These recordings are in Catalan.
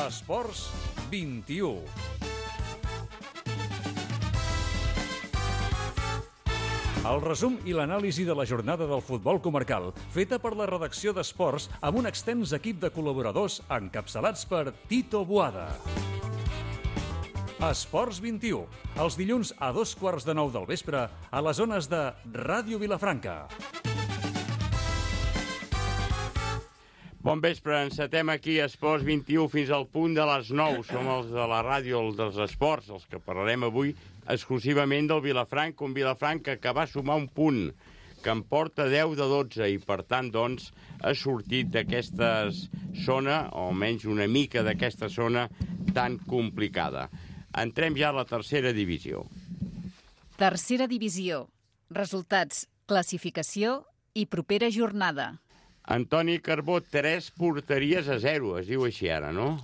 Esports 21. El resum i l'anàlisi de la jornada del futbol comarcal, feta per la redacció d'Esports amb un extens equip de col·laboradors encapçalats per Tito Boada. Esports 21, els dilluns a 8:15 del vespre a les zones de Ràdio Vilafranca. Bon vespre, encetem aquí Esports 21 fins al punt de les 9. Som els de la ràdio, els dels esports, els que parlarem avui exclusivament del Vilafranca, un Vilafranca que va sumar un punt, que en porta 10 de 12 i per tant, doncs, ha sortit d'aquesta zona, o almenys una mica d'aquesta zona tan complicada. Entrem ja a la tercera divisió. Tercera divisió. Resultats, classificació i propera jornada. Antoni Carbó, 3 porteries a 0, es diu així ara, no?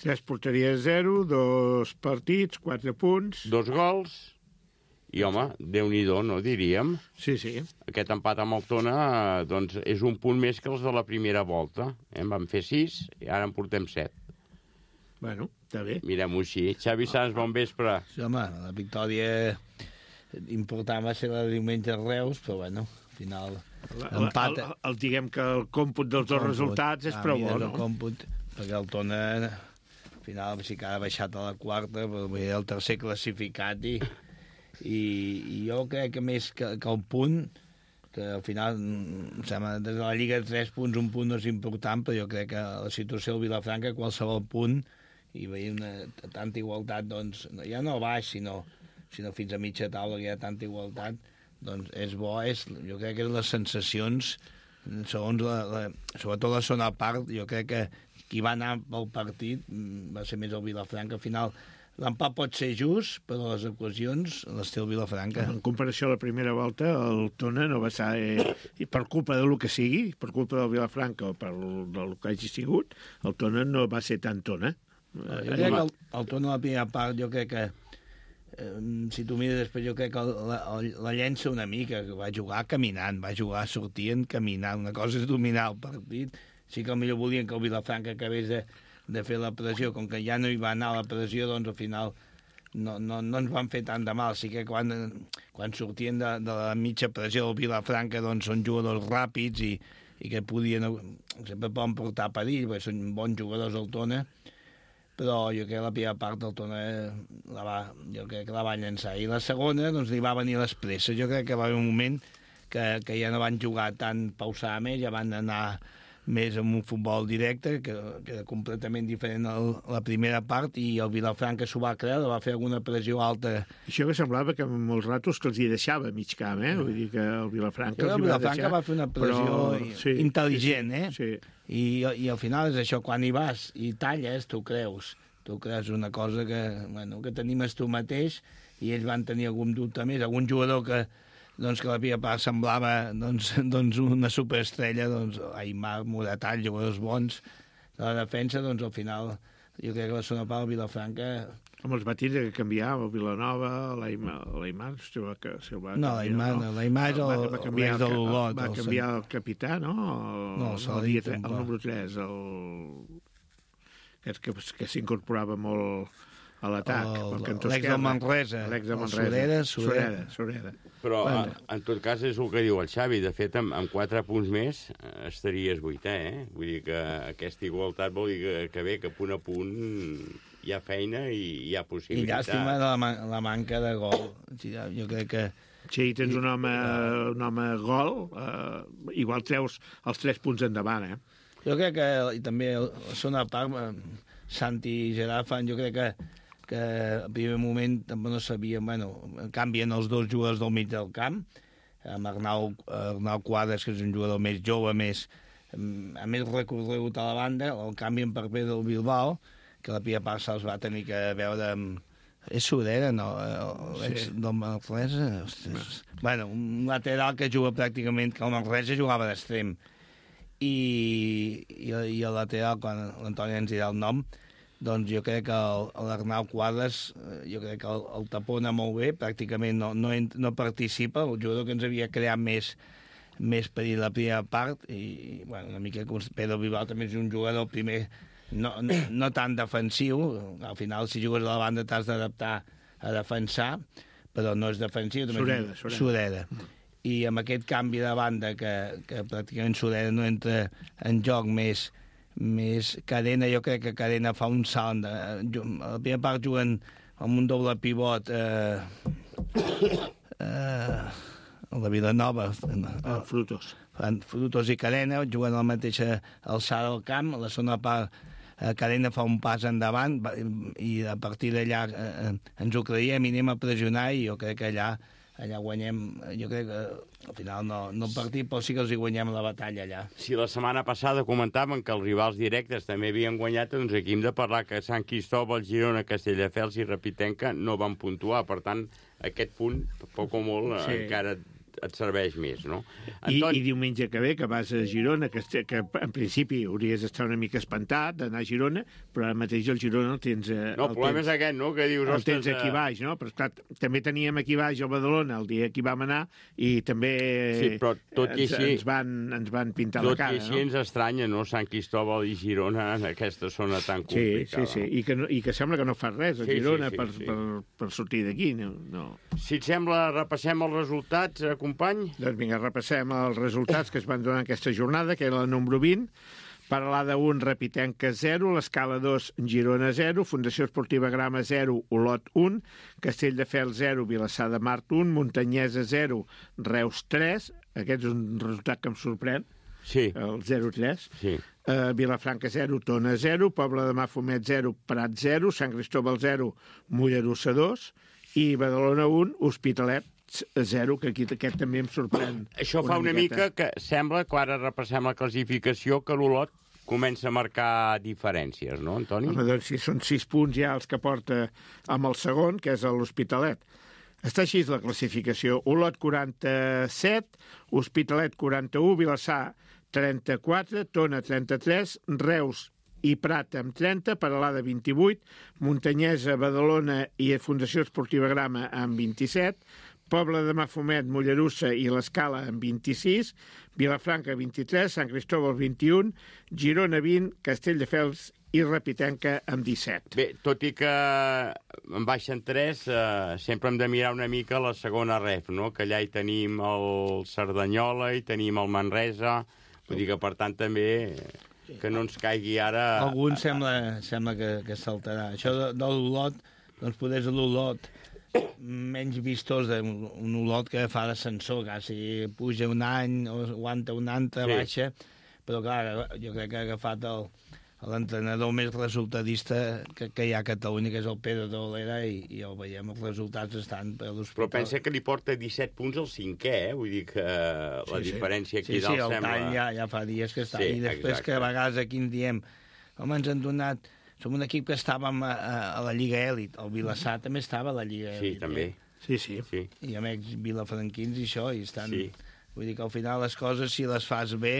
3 porteries a 0, 2 partits, 4 punts. 2 gols, i home, Déu-n'hi-do, no diríem? Sí, sí. Aquest empat amb el Tona, doncs, és un punt més que els de la primera volta. En vam fer 6 i ara en portem 7. Bueno, està bé. Mirem-ho així. Xavi Sans, bon vespre. Sí, home, la victòria important va ser la de diumenge a Reus, però bueno, al final l'empat... Diguem que el còmput dels dos resultats és prou bo, no? El còmput, perquè el Tona, al final, sí que ha baixat a la quarta, però era el tercer classificat i jo crec que més que el punt, que al final, em sembla, des de la Lliga 3 punts, un punt no és important, però jo crec que la situació del Vilafranca, qualsevol punt, i veia tanta igualtat, doncs, ja no baix, sinó fins a mitja taula, que hi ha tanta igualtat, doncs és bo, jo crec que les sensacions, segons sobretot la segona part, jo crec que qui va anar pel partit va ser més el Vilafranca. Al final, l'empat pot ser just, però les ocasions les té el Vilafranca. En comparació a la primera volta, el Tona no va ser, per culpa del que sigui, per culpa del Vilafranca o del que hagi sigut, el Tona no va ser tan Tona. Jo crec que el Tona a la primera part, jo crec que si tu mires després, jo crec que la llença una mica, que va jugar caminant, va jugar sortint caminant. Una cosa és dominar el partit. Sí que potser volien que el Vilafranca acabés de fer la pressió. Com que ja no hi va anar la pressió, doncs al final no ens van fer tant de mal. Sí que quan sortien de la mitja pressió del Vilafranca, doncs són jugadors ràpids i que sempre poden portar perill, perquè són bons jugadors al Tona, però jo crec que la primera part del Tona jo crec que la va llançar. I la segona, doncs, li va venir les presses. Jo crec que va haver un moment que ja no van jugar tan pausadament, ja van anar més amb un futbol directe, que era completament diferent a la primera part, i el Vilafranca s'ho va creure, va fer alguna pressió alta. Això que semblava que amb molts ratos que els hi deixava mig camp, Vull dir que el Vilafranca els hi va deixar. Va fer una pressió intel·ligent, Sí. I al final és això, quan hi vas i talles, tu creus una cosa que t'animes tu mateix, i ells van tenir algun dubte més, algun jugador que la primera part semblava una superestrella, Aimar, Moratall, jugadors bons de la defensa, al final jo crec que la segona part del Vilafranca... Amb els va tindre que canviar el Vilanova, l'Aimar, No, l'Aimar és l'ex de l'Olot. Va canviar el capità, no? No, el número 3, que s'incorporava molt a l'atac. L'ex del Manresa. Sureda. Però, en tot cas, és el que diu el Xavi. De fet, amb 4 punts més estaries 8è, Vull dir que aquesta igualtat vol dir que bé, que punt a punt hi ha feina i hi ha possibilitat. I llàstima de la manca de gol. Jo crec que... Si tens un home gol, igual treus els 3 punts endavant, Jo crec que, i també la segona part, Santi i Gerard fan, jo crec que al primer moment també no sabien, canvien els dos jugadors del mig del camp, amb Arnau Quadras, que és un jugador més jove, amb més recorregut a la banda, el canvien per Pedro Bilbao, que la primera part se'ls va tenir que veure amb... És Sureda, no? Del Manresa? Un lateral que juga pràcticament, que el Manresa jugava d'extrem. I el lateral, quan l'Antoni ens dirà el nom, doncs jo crec que l'Arnau Quadras, jo crec que el tapona molt bé, pràcticament no participa, el jugador que ens havia creat més perill la primera part, i una mica com Pedro Bilbao també és un jugador primer no tan defensiu. Al final, si jugues a la banda, t'has d'adaptar a defensar, però no és defensiu. Sureda. I amb aquest canvi de banda que pràcticament Sureda no entra en joc més Cadena, jo crec que Cadena fa un salt. A la primera part juguen amb un doble pivot a la Vilanova. Frutos i Cadena juguen a la mateixa alçada del camp. A la segona part Cadena fa un pas endavant i a partir d'allà ens ho creiem i anem a pressionar, i jo crec que allà guanyem. Jo crec que al final no el partit, però sí que els hi guanyem la batalla allà. Si la setmana passada comentaven que els rivals directes també havien guanyat, doncs aquí hem de parlar que Sant Cristòbal, Girona, Castelldefels i Repitenca no van puntuar. Per tant, aquest punt, poc o molt, encara et serveix més, no? I diumenge que ve, que vas a Girona, que en principi hauries d'estar una mica espantat d'anar a Girona, però ara mateix el Girona el tens... No, el problema és aquest, no?, que dius... El tens aquí baix, no? Però, esclar, també teníem aquí baix el Badalona el dia que hi vam anar, i també ens van pintar la cara, no? Tot i així ens estranya, no?, Sant Cristòbal i Girona en aquesta zona tan complicada. Sí. I que sembla que no fa res a Girona per sortir d'aquí, no. Si et sembla, repassem els resultats, company? Doncs vinga, repassem els resultats que es van donar aquesta jornada, que era la número 20. Paralada 1, Repitenca 0, l'Escala 2, Girona 0, Fundació Esportiva Grama 0, Olot 1, Castelldefels 0, Vilassar de Mar 1, Muntanyesa 0, Reus 3, aquest és un resultat que em sorprèn, el 0-3, Vilafranca 0, Tona 0, Pobla de Mafumet 0, Prat 0, Sant Cristòbal 0, Mollerussa 2, i Badalona 1, Hospitalet 0, que aquí aquest també em sorprèn. Això fa una mica que sembla, que ara repassem la classificació, que l'Olot comença a marcar diferències, no, Antoni? Home, doncs si són 6 punts ja els que porta amb el segon, que és l'Hospitalet. Està així la classificació. Olot 47, Hospitalet 41, Vilassar 34, Tona 33, Reus i Prat amb 30, Peralada 28, Muntanyesa, Badalona i Fundació Esportiva Grama amb 27, Pobla de Mafumet, Mollerussa i l'Escala amb 26, Vilafranca 23, Sant Cristòbal 21, Girona 20, Castelldefels i Repitenca amb 17. Bé, tot i que en baixen 3, sempre hem de mirar una mica la segona ref, no? Que allà hi tenim el Cerdanyola, hi tenim el Manresa, vull dir que per tant també que no ens caigui ara... Algun sembla que saltarà. Això de l'Olot, doncs poder l'Olot menys vistós d'un Olot que fa d'ascensor, quasi puja un any, o aguanta un altre, baixa, però clar, jo crec que ha agafat l'entrenador més resultadista que hi ha a Catalunya, que és el Pedro de Olera, i el veiem, els resultats estan per l'Hospital. Però pensa que li porta 17 punts al 5è, vull dir que la diferència aquí dalt sembla... Sí, el tall ja fa dies que està, i després que a vegades aquí en diem, home, ens han donat... Som un equip que estàvem a la Lliga Èlit. El Vilassar també estava a la Lliga Èlit. Sí, també. Sí. I amb ells vilafranquins i això, i estan... Sí. Vull dir que al final les coses, si les fas bé,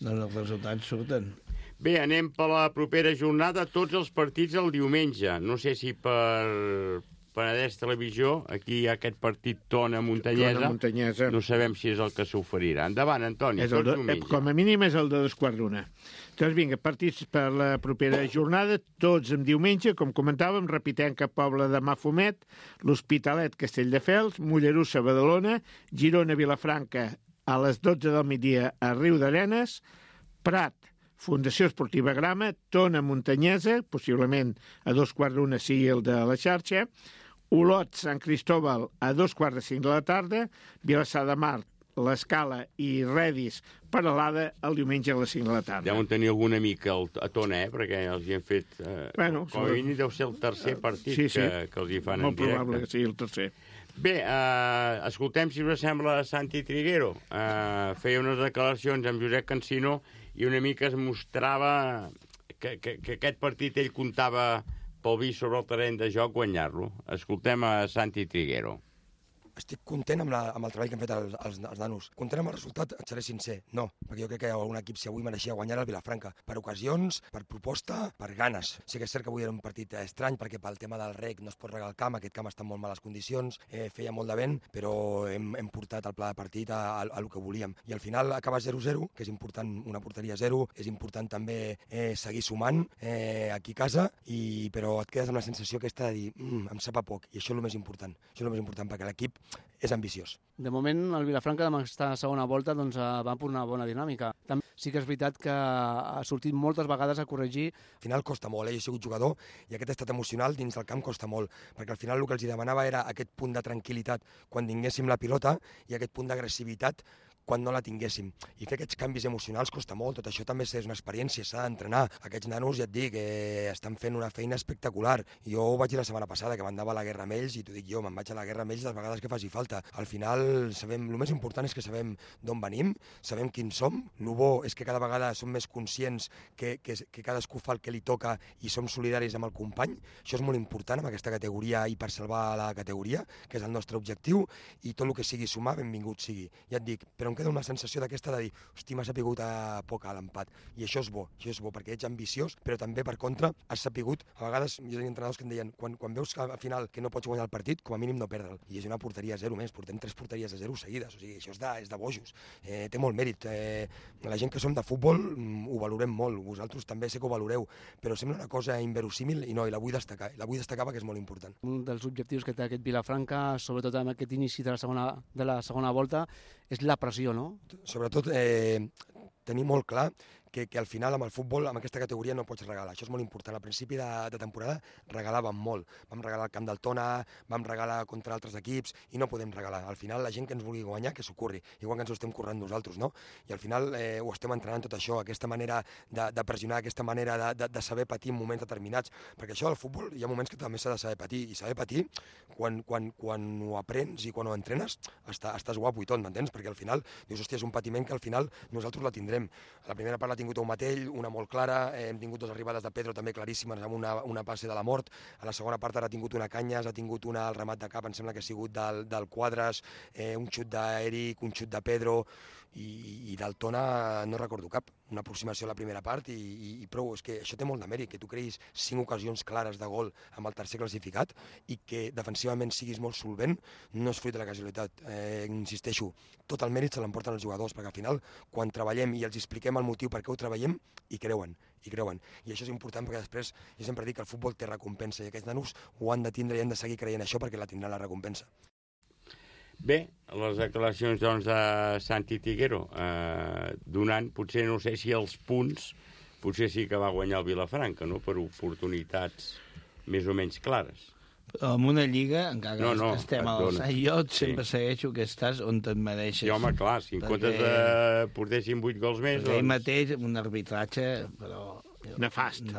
doncs els resultats surten. Bé, anem per la propera jornada, tots els partits el diumenge. No sé si per Penedès Televisió, aquí hi ha aquest partit Tona-Muntanyesa. No sabem si és el que s'oferirà. Endavant, Antoni, tots diumenge. Com a mínim és el de 2:15. Doncs vinga, partits per la propera jornada, tots en diumenge, com comentàvem, Repitenca, Pobla de Mafumet, l'Hospitalet, Castelldefels, Mollerussa, Badalona, Girona, Vilafranca, a les 12 del migdia a Riu d'Arenes, Prat, Fundació Esportiva Grama, Tona, Muntanyesa, possiblement a 2:15 sigui el de la xarxa, Olot, Sant Cristòbal a 2:45 de la tarda, Vilassar de Mar, l'Escala i Redis, Peralada, el diumenge a les 5 de la tarda. Deuen tenir algun amic a Tona, perquè els hi han fet... Bueno, com a mínim deu ser el tercer partit que els hi fan en directe. Molt probable que sigui el tercer. Bé, escoltem si us sembla Santi Triguero. Feia unes declaracions amb Josep Cansino i una mica es mostrava que aquest partit ell comptava pel vi sobre el terreny de joc guanyar-lo. Escoltem a Santi Triguero. estic content amb el treball que han fet els nanos. Content amb el resultat, et seré sincer, no, perquè jo crec que algun equip, si avui mereixia guanyar el Vilafranca, per ocasions, per proposta, per ganes. Sí que és cert que avui era un partit estrany, perquè pel tema del rec no es pot regar el camp, aquest camp està en molt males condicions, feia molt de vent, però hem portat el pla de partit a el que volíem. I al final acaba 0-0, que és important una porteria 0, és important també seguir sumant aquí a casa, però et quedes amb la sensació aquesta de dir em sap a poc, i això és el més important. Això és el més important, perquè l'equip és ambiciós. De moment, el Vilafranca, amb aquesta segona volta, doncs, va per una bona dinàmica. També sí que és veritat que ha sortit moltes vegades a corregir. Al final costa molt, jo he sigut jugador, i aquest estat emocional dins del camp costa molt, perquè al final el que els demanava era aquest punt de tranquil·litat quan tinguéssim la pilota i aquest punt d'agressivitat quan no la tinguéssim. I fer aquests canvis emocionals costa molt, tot això també és una experiència, s'ha d'entrenar. Aquests nanos, ja et dic, estan fent una feina espectacular. Jo ho vaig dir la setmana passada, que m'andava a la guerra amb ells, i t'ho dic jo, me'n vaig a la guerra amb ells les vegades que faci falta. Al final, sabem, el més important és que sabem d'on venim, sabem quins som, el bo és que cada vegada som més conscients que cadascú fa el que li toca i som solidaris amb el company. Això és molt important amb aquesta categoria i per salvar la categoria, que és el nostre objectiu, i tot el que sigui sumar, benvingut sigui. Ja et dic, però em queda una sensació d'aquesta de dir, hosti, m'ha sapigut a poc a l'empat. I això és bo, perquè ets ambiciós, però també, per contra, has sapigut, a vegades, jo tenia entrenadors que em deien, quan veus que al final que no pots guanyar el partit, com a mínim no perdre'l. I és una porteria 0 més, portem 3 porteries a 0 seguides, o sigui, això és de bojos. Té molt mèrit. La gent que som de futbol ho valorem molt, vosaltres també sé que ho valoreu, però sembla una cosa inverosímil i no, i la vull destacar perquè és molt important. Un dels objectius que té aquest Vilafranca, sobretot amb aquest inici de la segona volta, és la pressió, no? Sobretot tenir molt clar que al final amb el futbol, amb aquesta categoria no pots regalar. Això és molt important. Al principi de temporada regalàvem molt. Vam regalar el camp del Tona, vam regalar contra altres equips i no podem regalar. Al final la gent que ens vulgui guanyar, que s'ho curri, igual que ens ho estem currant nosaltres, no? I al final ho estem entrenant tot això, aquesta manera de pressionar, aquesta manera de saber patir en moments determinats, perquè això del futbol hi ha moments que també s'ha de saber patir, i saber patir, quan ho aprens i quan ho entrenes, estàs guapo i tot, m'entens? Perquè al final dius, hòstia, és un patiment que al final nosaltres la tindrem. La primera part l'ha tingut un matell, una molt clara, hem tingut 2 arribades de Pedro també claríssimes amb una passe de la mort, a la segona part ara ha tingut una Canyes, ha tingut una al remat de cap, em sembla que ha sigut del Quadres, un xut d'Eric, un xut de Pedro, i del Tona no recordo cap, una aproximació a la primera part i prou, és que això té molt de mèrit, que tu creïs 5 ocasions clares de gol amb el tercer classificat i que defensivament siguis molt solvent, no és fruit de la casualitat. Insisteixo, tot el mèrit se l'emporten els jugadors, perquè al final, quan treballem i els expliquem el motiu per què ho treballem, hi creuen. I això és important perquè després, jo sempre dic que el futbol té recompensa i aquests nanos ho han de tindre i han de seguir creient això perquè la tindran la recompensa. Bé, les declaracions doncs, de Santi Tiguero, donant, potser no sé si els punts, potser sí que va guanyar el Vilafranca, no?, per oportunitats més o menys clares. Però en una lliga, encara que estem a l'alçat, jo sempre segueixo que estàs on et mereixes. I home, clar, si en comptes de portessin 8 gols més... Perquè ell mateix, un arbitratge, però... Nefast.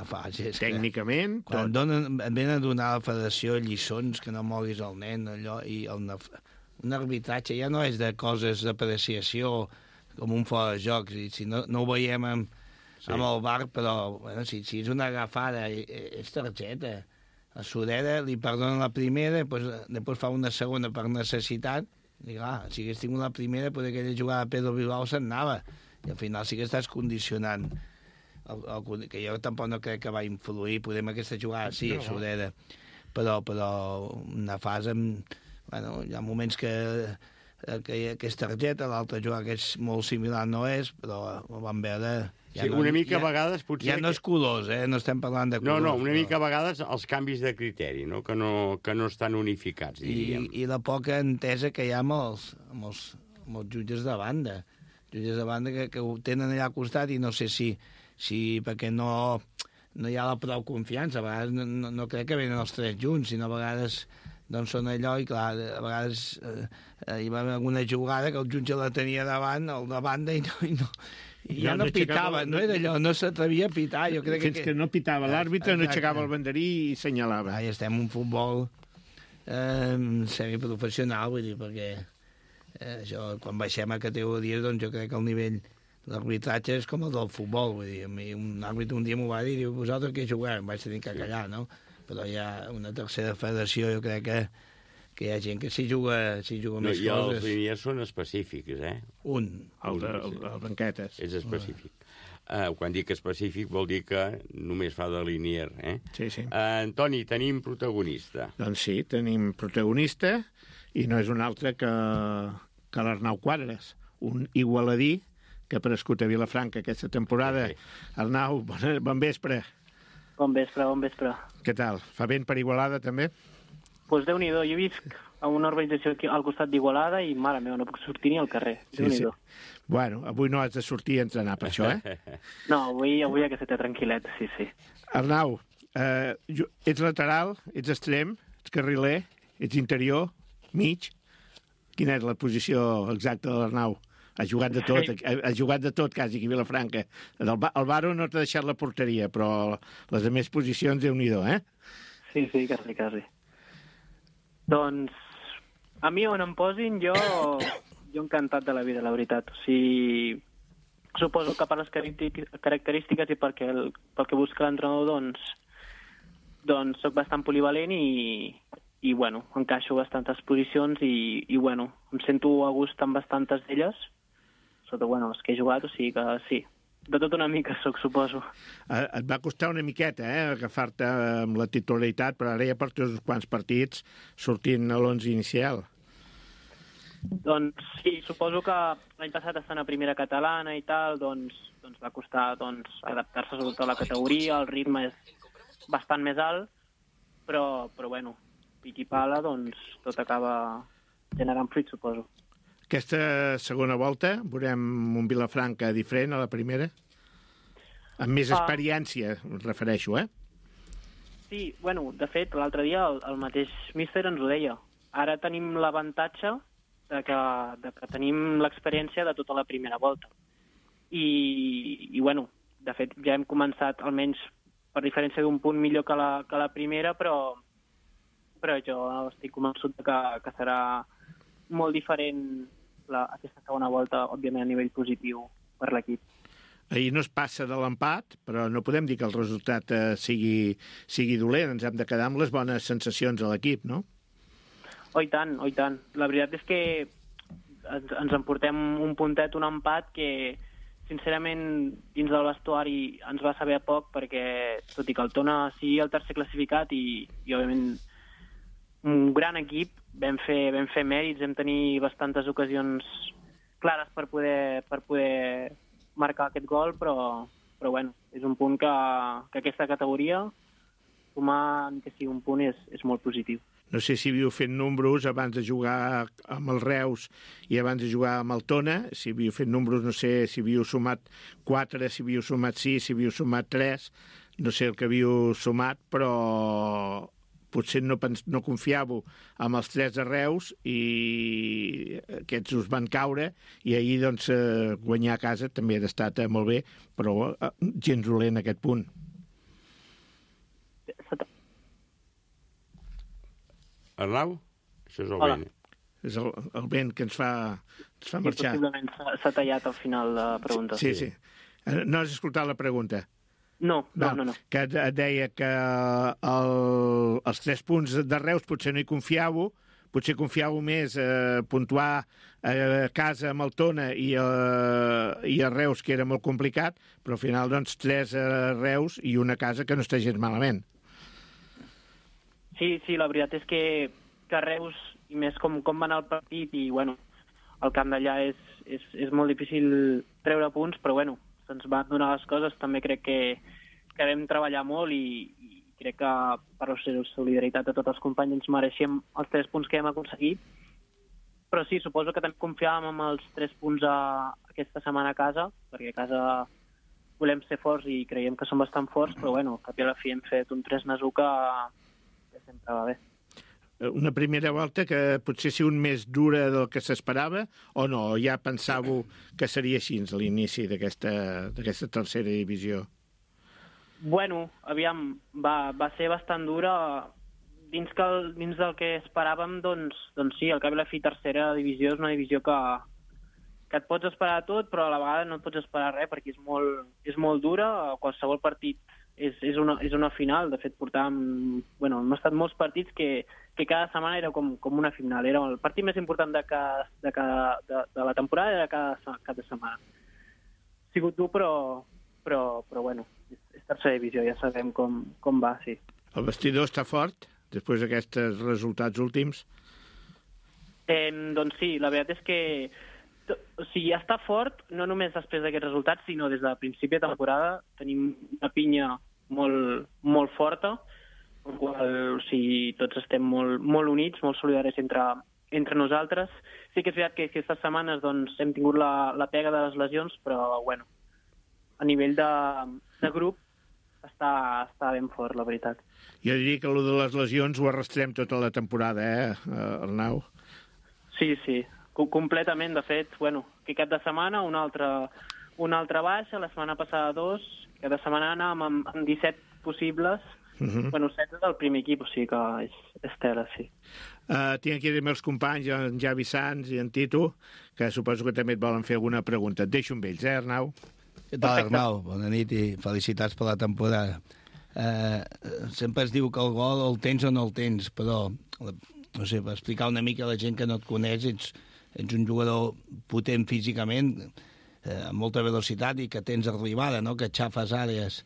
Tècnicament. Quan et venen a donar a la federació lliçons que no moguis el nen, allò, i un arbitratge ja no és de coses d'apreciació com un fora de jocs, si no ho veiem amb el VAR, però bueno, si és una agafada, és targeta. A Sureda li perdonen la primera, després fa una segona per necessitat, i clar, si hagués tingut la primera, potser aquella jugada de Pedro Bilbao se'n anava, i al final sí que estàs condicionant, que jo tampoc no crec que va influir, podem aquesta jugada, sí, a Sureda, però una fase bueno, hi ha moments que és targeta, l'altra jugada que és molt similar no és, però ho vam veure... Sí, una mica a vegades potser... Ja no és colors, no estem parlant de colors. No, una mica a vegades els canvis de criteri, no? Que no estan unificats, diríem. I la poca entesa que hi ha amb els jutges de banda. Jutges de banda que ho tenen allà al costat i no sé si perquè no hi ha la prou confiança. A vegades no crec que venen els 3 junts, sinó a vegades doncs són allò, i clar, a vegades hi va haver alguna jugada que el jutge la tenia davant, el de banda, i ja no pitava, no era allò, no s'atrevia a pitar. Jo crec Fins que no pitava l'àrbitre, no aixecava el banderí i senyalava. Ja estem en un futbol semiprofessional, vull dir, perquè això, quan baixem a categories, doncs jo crec que el nivell l'arbitratge és com el del futbol, vull dir, a mi un àrbitre un dia m'ho va dir, diu, vosaltres què jugueu? Em vaig tenir que callar, no? Però hi ha una tercera federació, jo crec que hi ha gent que s'hi juga més I els coses. liniers són específics, El Banquetes. És específic. Quan dic específic vol dir que només fa de linier, Sí, sí. Antoni, tenim protagonista. Doncs sí, tenim protagonista, i no és un altre que l'Arnau Quadres, un igualadí que ha prescut a Vilafranca aquesta temporada. Arnau, bon vespre. Bon vespre. Què tal? Fa vent per Igualada, també? Doncs Déu-n'hi-do, jo visc a una urbanització aquí al costat d'Igualada i, mare meva, no puc sortir ni al carrer. Déu-n'hi-do. Bueno, avui no has de sortir a entrenar per això, No, avui aquesta té tranquil·let, sí. Arnau, ets lateral, ets extrem, ets carriler, ets interior, mig. Quina és la posició exacta de l'Arnau? Ha jugat de tot quasi aquí a Vilafranca. El Baro no t'ha deixat la porteria, però les altres posicions, Déu-n'hi-do, Sí, quasi. Doncs, a mi on em posin, jo encantat de la vida, la veritat. O sigui, suposo que per les característiques i pel que busca l'entrenador, doncs soc bastant polivalent i bueno, encaixo bastantes posicions i bueno, em sento a gust amb bastantes d'elles, sota, bueno, les que he jugat, o sigui que sí, de tot una mica soc, suposo. Et va costar una miqueta, agafar-te amb la titularitat, però ara ja portes uns quants partits sortint a l'11 inicial. Doncs sí, suposo que l'any passat estant a primera catalana i tal, doncs va costar adaptar-se sobretot a la categoria, el ritme és bastant més alt, però bueno, pic i pala, doncs tot acaba generant fruit, suposo. Aquesta segona volta veurem un Vilafranca diferent a la primera? Amb més experiència, em refereixo, Sí, bueno, de fet, l'altre dia el mateix míster ens ho deia. Ara tenim l'avantatge de que tenim l'experiència de tota la primera volta. I bueno, de fet, ja hem començat, almenys per diferència d'un punt millor que la primera, però jo estic convençut que serà molt diferent aquesta segona volta, òbviament, a nivell positiu per l'equip. Ahir no es passa de l'empat, però no podem dir que el resultat sigui dolent. Ens hem de quedar amb les bones sensacions a l'equip, no? Oh, i tant. La veritat és que ens emportem un puntet, un empat que, sincerament, dins del vestuari ens va saber a poc perquè, tot i que el Tona sigui el tercer classificat i òbviament, un gran equip, vam fer mèrits, vam tenir bastantes ocasions clares per poder marcar aquest gol, però bueno, és un punt que aquesta categoria, sumar que sigui un punt, és molt positiu. No sé si havíeu fet números abans de jugar amb el Reus i abans de jugar amb el Tona, si havíeu fet números, no sé si havíeu sumat 4, si havíeu sumat 6, si havíeu sumat 3, no sé el que havíeu sumat, però potser no confiàveu amb els 3 de Reus i aquests us van caure i ahir doncs, guanyar a casa també ha estat molt bé, però gens dolent aquest punt. Arnau? Això és el vent. És el vent que ens fa marxar. Sí, possiblement s'ha tallat al final la pregunta. Sí. No has escoltat la pregunta? No. Que et deia que els 3 punts de Reus potser no hi confiàveu, potser confiàveu més puntuar a casa amb el Tona i a Reus, que era molt complicat, però al final doncs 3 a Reus i una casa que no està gens malament. Sí, la veritat és que Reus, i més com va anar el partit, i bueno, el camp d'allà és molt difícil treure punts, però bueno, se'ns van donar les coses. També crec que vam treballar molt i crec que per la solidaritat de tots els companys ens mereixem els 3 punts que hem aconseguit. Però sí, suposo que també confiàvem amb els 3 punts aquesta setmana a casa, perquè a casa volem ser forts i creiem que som bastant forts, però bueno, al cap i a la fi hem fet un 3-1 que sempre va bé. Una primera volta que potser sigui un més dura del que s'esperava, o no? Ja pensàveu que seria així a l'inici d'aquesta tercera divisió? Bueno, aviam, va ser bastant dura. Dins del que esperàvem, doncs sí, al cap i la fi tercera divisió és una divisió que et pots esperar tot, però a la vegada no et pots esperar res perquè és molt dura. Qualsevol partit és una final. De fet, portàvem... Bueno, hem estat molts partits que cada setmana era com una final. Era el partit més important de la temporada era cada setmana. Ha sigut dur, però bueno, és tercera divisió, ja sabem com va, sí. El vestidor està fort, després d'aquests resultats últims? Doncs sí, la veritat és que està fort, no només després d'aquests resultats, sinó des del principi de temporada. Tenim una pinya molt, molt forta, en qual tots estem molt units, molt solidaris entre nosaltres. Sí que és veritat que aquestes setmanes doncs, hem tingut la pega de les lesions, però bueno, a nivell de grup està ben fort, la veritat. Jo diria que allò de les lesions ho arrastrem tota la temporada, Arnau? Sí, completament. De fet, que cap de setmana una altra baixa, la setmana passada 2, cada setmana anàvem amb 17 possibles, 7 del primer equip, o sigui que és tela, sí. Tinc aquí els companys, en Javi Sanz i en Tito, que suposo que també et volen fer alguna pregunta. Et deixo amb ells, Arnau? Què tal, Arnau? Bona nit i felicitats per la temporada. Sempre es diu que el gol el tens o no el tens, però, no sé, per explicar una mica a la gent que no et coneix, ets un jugador potent físicament, amb molta velocitat i que tens arribada, no? Que xafes àrees.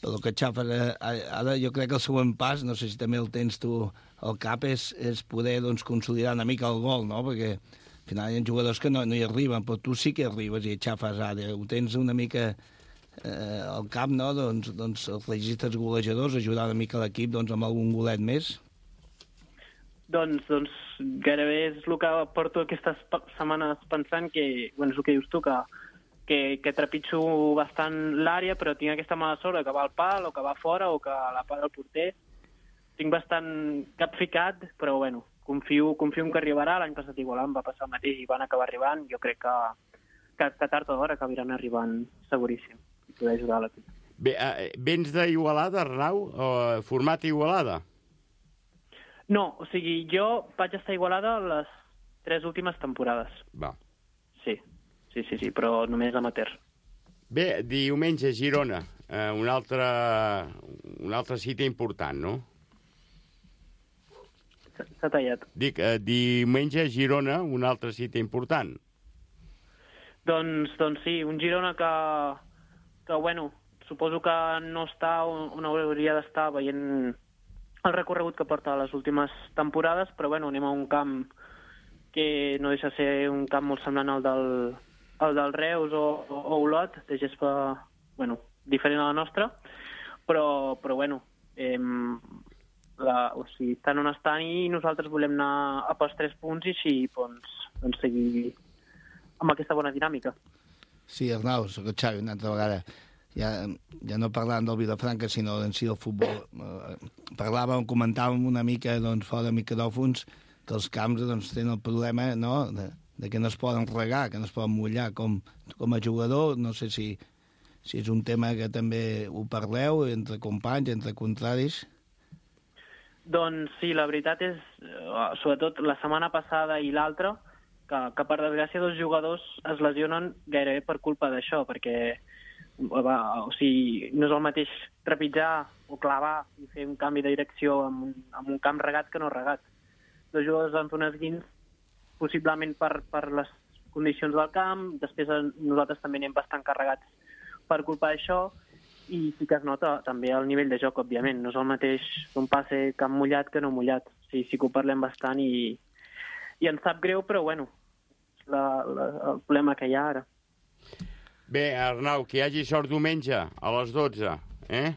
Però que xafes ara, jo crec que el següent pas, no sé si també el tens tu al cap, és poder consolidar una mica el gol, no? Perquè al final hi ha jugadors que no hi arriben, però tu sí que arribes i xafes àrea. Ho tens una mica al cap, no? Doncs els registres golejadors, ajudar una mica l'equip amb algun golet més. Doncs gairebé és el que porto aquestes setmanes pensant, que, és el que dius tu, que trepitjo bastant l'àrea, però tinc aquesta mala sort que va al pal, o que va fora, o que la para el porter. Tinc bastant cap ficat, però confio que arribarà. L'any passat igual em va passar el mateix i van acabar arribant. Jo crec que tard o d'hora acabaran arribant seguríssim i poder ajudar a l'equip. Bé, vens d'Igualada, Arnau? Format Igualada? No, o sigui, jo vaig estar a Igualada les 3 últimes temporades. Va. Sí, però només amateur. Bé, diumenge a Girona, un altre cita important, no? S'ha tallat. Dic, diumenge a Girona, un altre cita important. Doncs sí, un Girona que suposo que no està on hauria d'estar veient el recorregut que porta les últimes temporades, però anem a un camp que no deixa de ser un camp molt semblant al del Reus o Olot, de gespa, diferent a la nostra, però estan on estan i nosaltres volem anar a pels 3 punts i així seguir amb aquesta bona dinàmica. Sí, Arnau, soc el Xavi una altra vegada. Ja no parlàvem del Vilafranca, sinó en si del futbol. Comentàvem una mica fora de micròfons que els camps tenen el problema de que no es poden regar, que no es poden mullar. Com a jugador, no sé si és un tema que també ho parleu entre companys, entre contraris. Doncs sí, la veritat és, sobretot la setmana passada i l'altra, que per desgràcia 2 jugadors es lesionen gairebé per culpa d'això, perquè no és el mateix trepitjar o clavar i fer un canvi de direcció en un camp regat que no regat. 2 jugadors van fer un esguins, possiblement per les condicions del camp, després nosaltres també anem bastant carregats per culpa d'això, i sí que es nota també el nivell de joc, òbviament. No és el mateix un passe camp mullat que no mullat. Sí que ho parlem bastant i ens sap greu, però és el problema que hi ha ara. Bé, Arnau, que hi hagi sort diumenge a les 12, eh?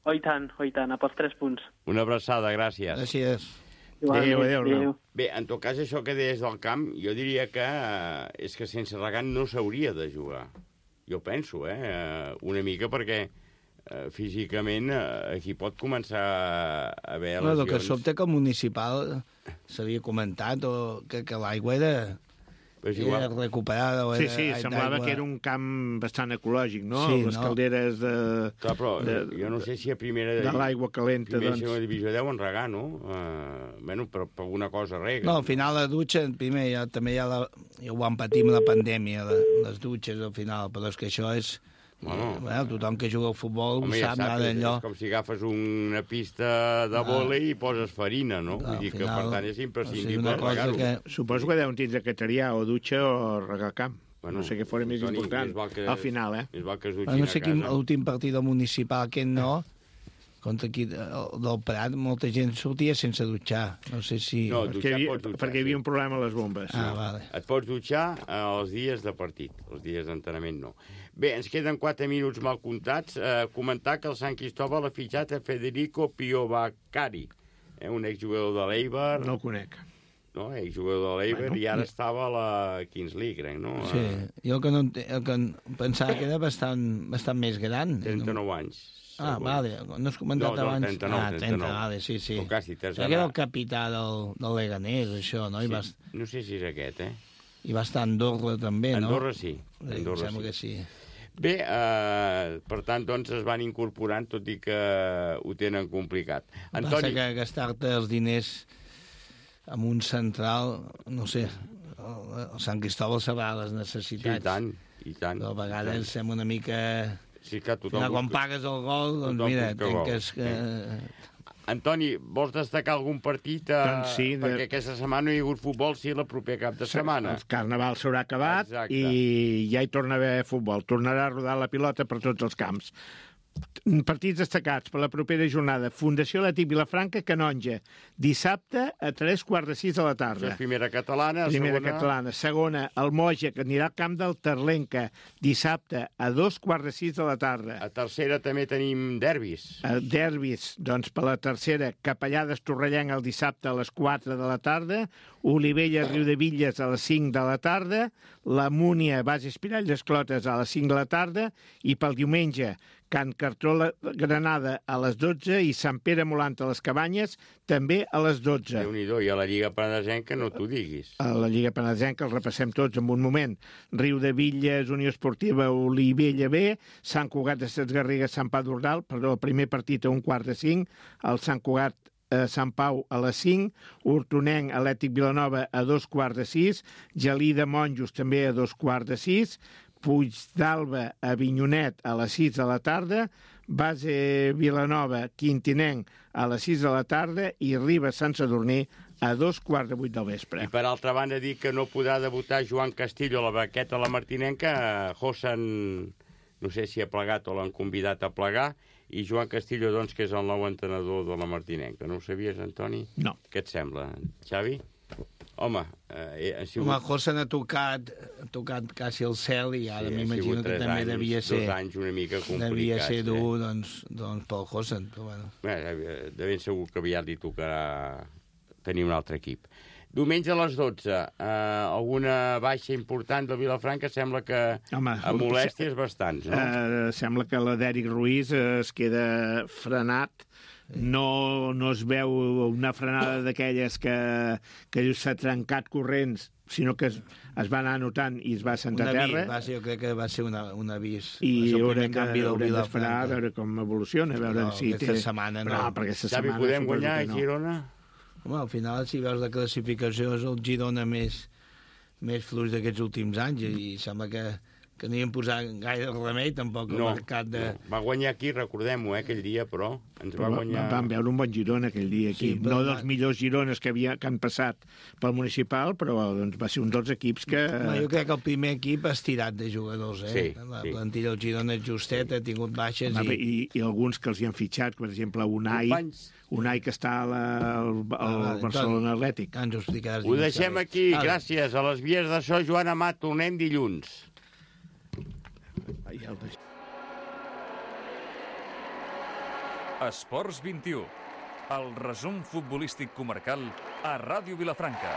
Oh, i tant, a pels 3 punts. Una abraçada, gràcies. Gràcies. Adéu, Arnau. Bé, en tot cas, això que deies del camp, jo diria que és que sense regant no s'hauria de jugar. Jo penso, una mica, perquè físicament aquí pot començar a haver lesions. El que sobta que el municipal s'havia comentat que l'aigua era recuperada. Sí, semblava que era un camp bastant ecològic, no? Sí, les calderes de... Clar, però jo no sé si a primera... De l'aigua calenta, primera i segona divisió deuen regar, no? Però per alguna cosa rega. No, al final la dutxa, primer també ja ho vam patir amb la pandèmia, les dutxes al final, però és que això és Bueno, tothom que juga al futbol home, ho ja sap, saps, és d'allò. com si agafes una pista de vòlei i poses farina, no? Clar, Vull dir que, al final, per tant, és és imprescindible una cosa regar-ho. que... Suposo que deuen tindre que triar o dutxa o regar camp. Bueno, no sé què fora més Toni, important més val que- al final, Més val que es Però dutxin no a sé quin, casa. l'últim partit del municipal, aquest no, contra aquí del Prat, molta gent sortia sense dutxar. No sé si... No, perquè hi havia un problema a les bombes. Vale. Et pots dutxar els dies de partit, els dies d'entrenament no. Bé, ens queden 4 minuts mal comptats. Comentar que el Sant Cristóbal ha fitxat a Federico Piovacari, un exjugador de l'Eibar. No el conec. No, exjugador de l'Eibar, i ara estava a la Kings League, crec, no? Sí, jo el que pensava que era bastant més gran. 39 anys. Vale, no has comentat abans? 39, 30, vale, sí. O quasi, Que era el capità del Leganés, això, no? Sí, no sé si és aquest, I va estar a Andorra, també, no? Andorra sí. Andorra sembla que sí. Bé, per tant, doncs, es van incorporant, tot i que ho tenen complicat. Antoni... Passa que gastar-te els diners amb un central, no sé, el Sant Cristóbal sabrà les necessitats. I tant. Però a vegades sembla una mica... Sí, que tothom... Quan pagues el gol, doncs mira, tanques... Antoni, vols destacar algun partit? Doncs sí, perquè aquesta setmana no hi ha hagut futbol, sí, la proper cap de setmana. El Carnaval s'haurà acabat. Exacte. I ja hi torna a haver futbol. Tornarà a rodar la pilota per tots els camps. Partits destacats per la propera jornada. Fundació Atlètic Vilafranca, Canonja. Dissabte a 3:45 de la tarda. Això és primera catalana. Catalana. Segona, el Moja, que anirà al camp del Terlenca. Dissabte a 2:45 de la tarda. A tercera també tenim derbis. Derbis, doncs per la tercera, Capellades Torrellenc el dissabte a les 4 de la tarda. Olivella Riudevilles a les 5 de la tarda. La Múnia Base Espirall d'Esclotes a les 5 de la tarda. I pel diumenge, Can Cartró Granada a les 12 i Sant Pere Molant a les Cabanyes també a les 12. Déu-n'hi-do, i a la Lliga Penedesenca no t'ho diguis. A la Lliga Penedesenca els repassem tots en un moment. Riudevilles, Unió Esportiva, Olivella B, Sant Cugat de Ses Garrigues, Sant Pau d'Ordal, perdó, el primer partit a 1:45, el Sant Cugat Sant Pau a les 5, Hortonenc Atlètic Vilanova a 2:45, Gelida Monjos també a 2:45, Puigdalba a Avinyonet a les 6 de la tarda, Base Vilanova Quintinenc a les 6 de la tarda i Ribes Sant Sadurní a 2:15 del vespre. I per altra banda dir que no podrà debutar Joan Castillo a la baqueta a la Martinenca. Josan, no sé si ha plegat o l'han convidat a plegar, i Joan Castillo, doncs, que és el nou entrenador de la Martinenca. No ho sabies, Antoni? No. Què et sembla, Xavi? Home, ha sigut... Home, Josan ha tocat quasi el cel i ara m'imagino que també devia ser... 2 anys una mica complicats. Devia ser dur, doncs pel Josan, però bueno. De ben segur que aviat li tocarà tenir un altre equip. Diumenge a les 12, alguna baixa important del Vilafranca? Sembla que a molèsties bastants, no? Sembla que la d'Eric Ruiz es queda frenat. No es veu una frenada d'aquelles que s'ha trencat corrents, sinó que es va anar anotant i es va sentar a terra. Jo crec que va ser un avís. I haurem d'esperar a veure com evoluciona. A veure si aquesta setmana no. Xavi, podem guanyar a Girona? Home, al final, si veus la classificació, és el Girona més fluix d'aquests últims anys i sembla que no hi hem posat gaire remei, tampoc el mercat de... No. Va guanyar aquí, recordem-ho, aquell dia, però ens va guanyar... Vam veure un bon Girona aquell dia aquí. Sí, no dels millors Girones que han passat pel municipal, però doncs, va ser un dels equips que... Jo crec que el primer equip ha estirat de jugadors, Sí, la plantilla del Girona és justet, ha tingut baixes i alguns que els hi han fitxat, per exemple, Unai, que està al Barcelona Atlètic. Ens ho explicaràs. Ho deixem aquí, gràcies. A les vies de so, Joan Amat, tornem dilluns. Esports 21, el resum futbolístic comarcal a Ràdio Vilafranca.